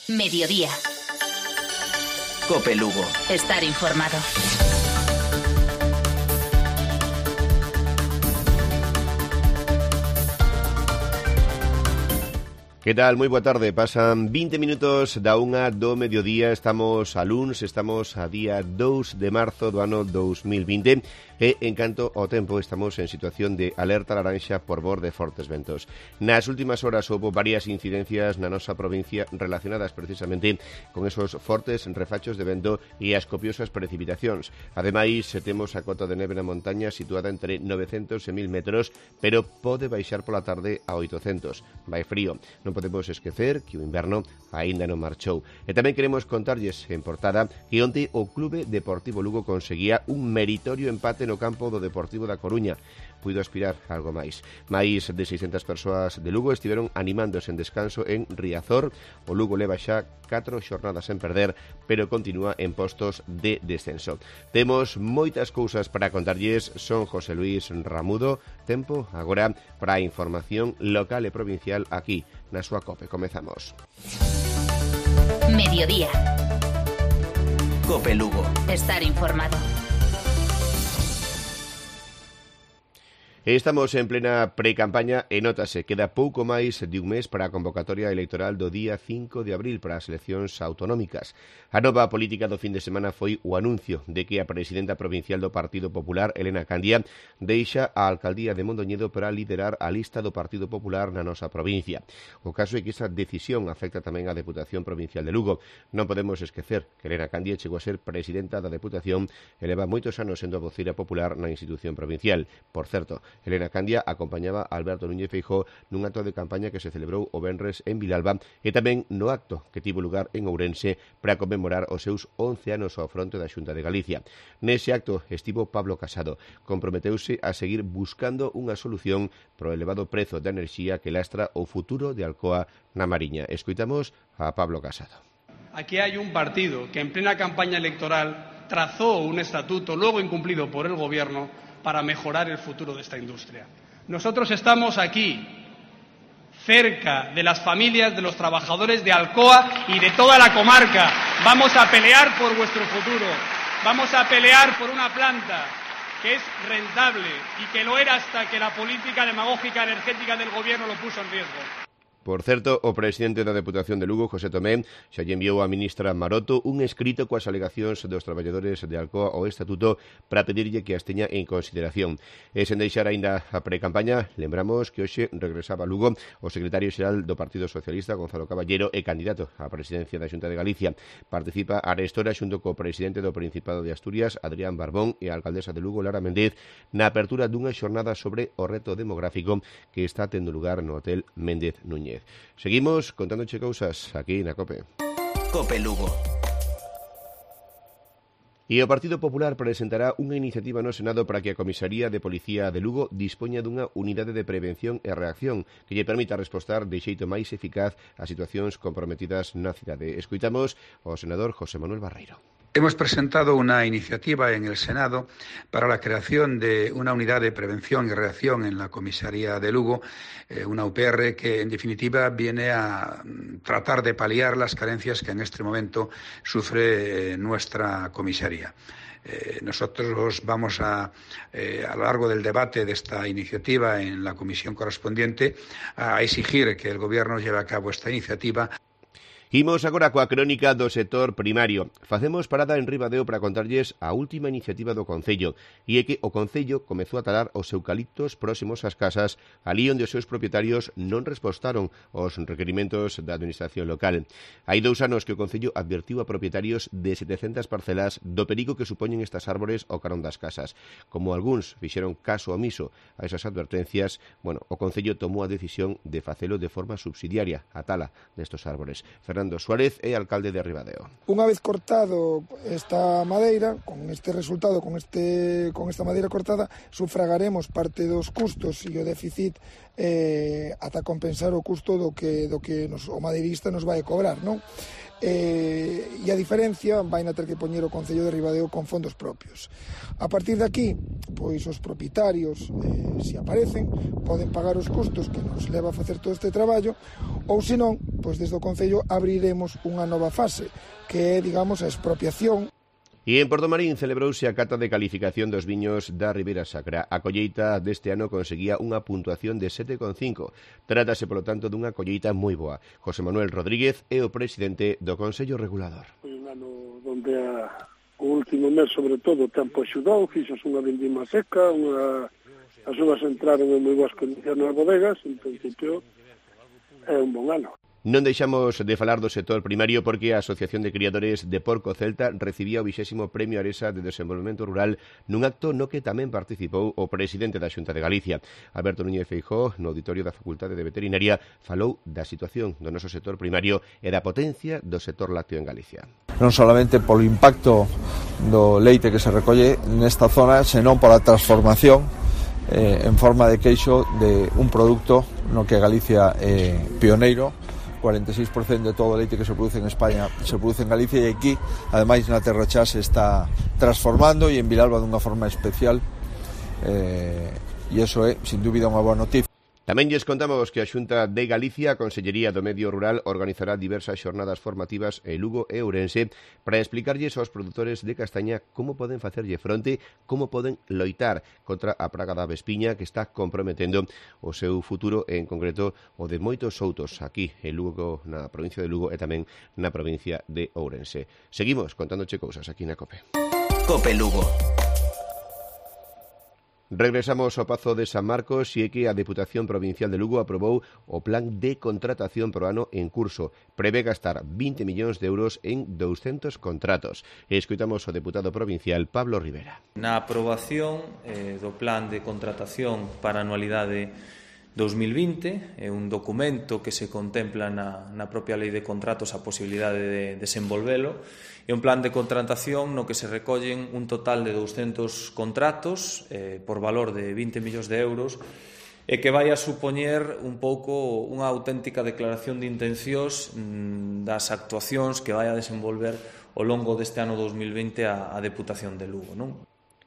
Mediodía. COPE Lugo. Estar informado. Que tal? Moi boa tarde. Pasan 20 minutos da 1 do mediodía. Estamos a luns, estamos a día 2 de marzo do ano 2020 e, en canto ao tempo, estamos en situación de alerta laranxa por mor de fortes ventos. Nas últimas horas houve varias incidencias na nosa provincia relacionadas precisamente con esos fortes refachos de vento e as copiosas precipitacións. Ademais, temos a cota de neve na montaña situada entre 900 e 1000 metros, pero pode baixar pola tarde a 800. Vai frío. Non podemos esquecer que o inverno aínda non marchou. E tamén queremos contarlles en portada que onte o Clube Deportivo Lugo conseguía un meritorio empate no campo do Deportivo da Coruña. Puido aspirar a algo máis. Máis de 600 persoas de Lugo estiveron animándose en descanso en Riazor. O Lugo leva xa 4 xornadas sen perder, pero continúa en postos de descenso. Temos moitas cousas para contarlles. Son José Luis Ramudo. Tempo agora para a información local e provincial aquí na súa COPE. Comezamos. Mediodía. COPE Lugo. Estar informado. Estamos en plena pre-campaña e nótase, queda pouco máis de un mes para a convocatoria electoral do día 5 de abril para as eleccións autonómicas. A nova política do fin de semana foi o anuncio de que a presidenta provincial do Partido Popular, Elena Candia, deixa a alcaldía de Mondoñedo para liderar a lista do Partido Popular na nosa provincia. O caso é que esa decisión afecta tamén á Deputación Provincial de Lugo. Non podemos esquecer que Elena Candia chegou a ser presidenta da Deputación e leva moitos anos sendo a voceira popular na institución provincial. Por certo, Elena Candia acompañaba a Alberto Núñez Feijóo nun acto de campaña que se celebrou o venres en Vilalba e tamén no acto que tivo lugar en Ourense para conmemorar os seus 11 anos ao fronte da Xunta de Galicia. Nese acto estivo Pablo Casado. Comprometeuse a seguir buscando unha solución pro elevado prezo da enerxía que lastra o futuro de Alcoa na Mariña. Escoitamos a Pablo Casado. Aquí hay un partido que en plena campaña electoral trazó un estatuto luego incumplido por el gobierno para mejorar el futuro de esta industria. Nosotros estamos aquí, cerca de las familias de los trabajadores de Alcoa y de toda la comarca. Vamos a pelear por vuestro futuro, vamos a pelear por una planta que es rentable y que lo era hasta que la política demagógica energética del gobierno lo puso en riesgo. Por certo, o presidente da Deputación de Lugo, José Tomé, xa lle enviou á ministra Maroto un escrito coas alegacións dos traballadores de Alcoa ao Estatuto para pedirlle que as teña en consideración. E sen deixar aínda a pre-campaña, lembramos que hoxe regresaba a Lugo o secretario xeral do Partido Socialista, Gonzalo Caballero, e candidato á presidencia da Xunta de Galicia. Participa arestora xunto co presidente do Principado de Asturias, Adrián Barbón, e a alcaldesa de Lugo, Lara Méndez, na apertura dunha xornada sobre o reto demográfico que está tendo lugar no Hotel Méndez Núñez. Seguimos contándoche cousas aquí na COPE. COPE Lugo. E o Partido Popular presentará unha iniciativa no Senado para que a Comisaría de Policía de Lugo dispoña dunha unidade de prevención e reacción que lle permita respostar de xeito máis eficaz a situacións comprometidas na cidade. Escoitamos ao senador José Manuel Barreiro. Hemos presentado una iniciativa en el Senado para la creación de una unidad de prevención y reacción en la comisaría de Lugo, una UPR que en definitiva viene a tratar de paliar las carencias que en este momento sufre nuestra comisaría. Nosotros vamos a lo largo del debate de esta iniciativa en la comisión correspondiente a exigir que el Gobierno lleve a cabo esta iniciativa. Imos agora coa crónica do sector primario. Facemos parada en Ribadeo para contarlles a última iniciativa do Concello, e é que o Concello comezou a talar os eucaliptos próximos ás casas, ali onde os seus propietarios non respostaron aos requerimentos da administración local. Hai 2 anos que o Concello advertiu a propietarios de 700 parcelas do perigo que supoñen estas árbores ao carón das casas. Como algúns fixeron caso omiso a esas advertencias, o Concello tomou a decisión de facelo de forma subsidiaria, a tala destos árbores. Fernando Suárez é alcalde de Ribadeo. Unha vez cortado esta madeira, con este resultado, con esta madeira cortada, sufragaremos parte dos custos e o déficit ata compensar o custo do que o madeirista nos vai cobrar, non? e a diferencia vai na ter que poñer o Concello de Ribadeo con fondos propios. A partir de aquí, pois os propietarios, se aparecen, poden pagar os custos que nos leva a facer todo este traballo, ou senón, pois desde o Concello abriremos unha nova fase, que é, digamos, a expropiación. E en Portomarín celebrouse a cata de calificación dos viños da Ribeira Sacra. A colleita deste ano conseguía unha puntuación de 7,5. Trátase, polo tanto, dunha colleita moi boa. José Manuel Rodríguez é o presidente do Consello Regulador. Foi un ano onde o último mes, sobre todo, o tempo axudou, fixos unha vendima seca, as uvas entraron en moi boas condicións nas bodegas, en principio é un bon ano. Non deixamos de falar do sector primario porque a Asociación de Criadores de Porco Celta recibía o 20º Premio Aresa de Desenvolvemento Rural nun acto no que tamén participou o presidente da Xunta de Galicia. Alberto Núñez Feijóo, no auditorio da Facultade de Veterinaria, falou da situación do noso sector primario e da potencia do sector lácteo en Galicia. Non solamente polo impacto do leite que se recolle nesta zona, senón pola transformación en forma de queixo de un produto no que Galicia é pioneiro. 46% de todo o leite que se produce en España se produce en Galicia e aquí, ademais, na Terra Chá se está transformando e en Vilalba dunha forma especial e iso é, sin dúbida, unha boa noticia. Tamén lles contamos que a Xunta de Galicia, a Consellería do Medio Rural, organizará diversas xornadas formativas en Lugo e Ourense para explicarlles aos produtores de castaña como poden facerlle fronte, como poden loitar contra a praga da avespiña que está comprometendo o seu futuro, e en concreto o de moitos outros aquí en Lugo, na provincia de Lugo e tamén na provincia de Ourense. Seguimos contándoche cousas aquí na COPE. COPE Lugo. Regresamos ao Pazo de San Marcos e é que a Deputación Provincial de Lugo aprobou o plan de contratación pro ano en curso. Prevé gastar 20 millóns de euros en 200 contratos. E escoitamos o deputado provincial Pablo Rivera. Na aprobación do plan de contratación para a anualidade 2020, é un documento que se contempla na propia lei de contratos a posibilidade de desenvolvelo. É un plan de contratación no que se recollen un total de 200 contratos por valor de 20 millóns de euros e que vai a supoñer un pouco unha auténtica declaración de intencións das actuacións que vai a desenvolver ao longo deste ano 2020 a Deputación de Lugo, non?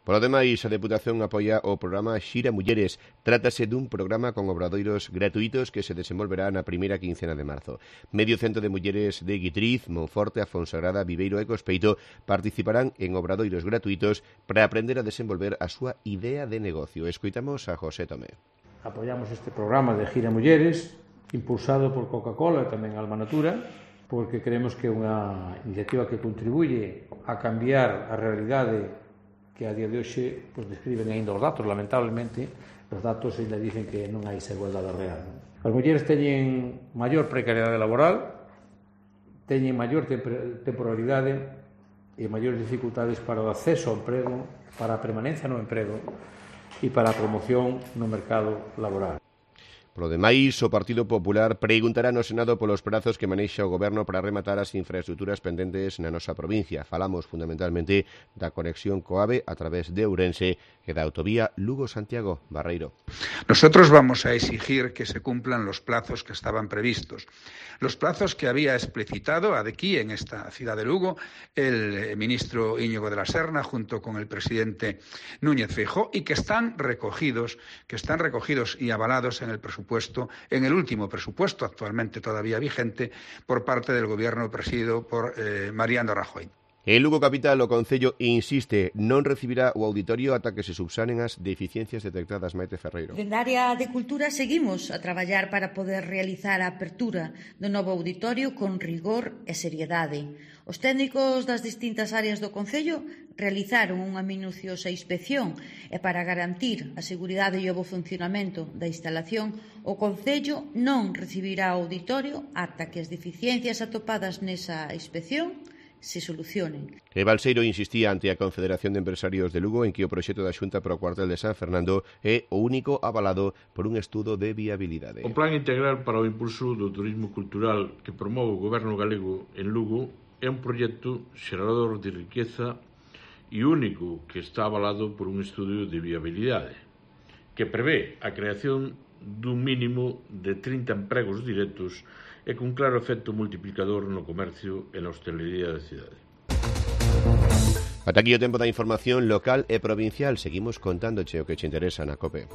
Por lo demais, a Deputación apoia o programa Xira Mulleres. Trátase dun programa con obradoiros gratuitos que se desenvolverá na primeira quincena de marzo. Medio cento de mulleres de Guitriz, Monforte, Afonsagrada, Viveiro e Cospeito participarán en obradoiros gratuitos para aprender a desenvolver a súa idea de negocio. Escoitamos a José Tomé. Apoiamos este programa de Xira Mulleres, impulsado por Coca-Cola e tamén Alma Natura, porque creemos que é unha iniciativa que contribuye a cambiar a realidade que a día de hoxe pues, describen ainda os datos. Lamentablemente, os datos ainda dicen que non hai esa igualdade real. As mulleres teñen maior precariedade laboral, teñen maior temporalidade e maiores dificultades para o acceso ao emprego, para a permanencia no emprego e para a promoción no mercado laboral. Por lo demais, o Partido Popular preguntará no Senado polos prazos que manexa o Goberno para rematar as infraestructuras pendentes na nosa provincia. Falamos fundamentalmente da conexión co AVE a través de Ourense e da autovía Lugo-Santiago Barreiro. Nosotros vamos a exigir que se cumplan los plazos que estaban previstos. Los plazos que había explicitado aquí en esta ciudad de Lugo el ministro Íñigo de la Serna junto con el presidente Núñez Feijóo y que están recogidos y avalados en el presupuesto, en el último presupuesto actualmente todavía vigente por parte del gobierno presidido por Mariano Rajoy. En Lugo Capital, o Concello insiste, non recibirá o auditorio ata que se subsanen as deficiencias detectadas. Maite Ferreiro. Dende a área de Cultura seguimos a traballar para poder realizar a apertura do novo auditorio con rigor e seriedade. Os técnicos das distintas áreas do Concello realizaron unha minuciosa inspección e para garantir a seguridade e o bo funcionamento da instalación, o Concello non recibirá o auditorio ata que as deficiencias atopadas nesa inspección se solucionen. E Balseiro insistía ante a Confederación de Empresarios de Lugo en que o proxecto da Xunta para o cuartel de San Fernando é o único avalado por un estudo de viabilidade. O Plan Integral para o Impulso do Turismo Cultural que promove o Goberno galego en Lugo é un proxecto xerador de riqueza e único que está avalado por un estudio de viabilidade que prevé a creación dun mínimo de 30 empregos directos e con claro efecto multiplicador no comercio e na hostelería da cidade. Ata aquí o tempo da información local e provincial. Seguimos contándoche o que che interesa na COPE.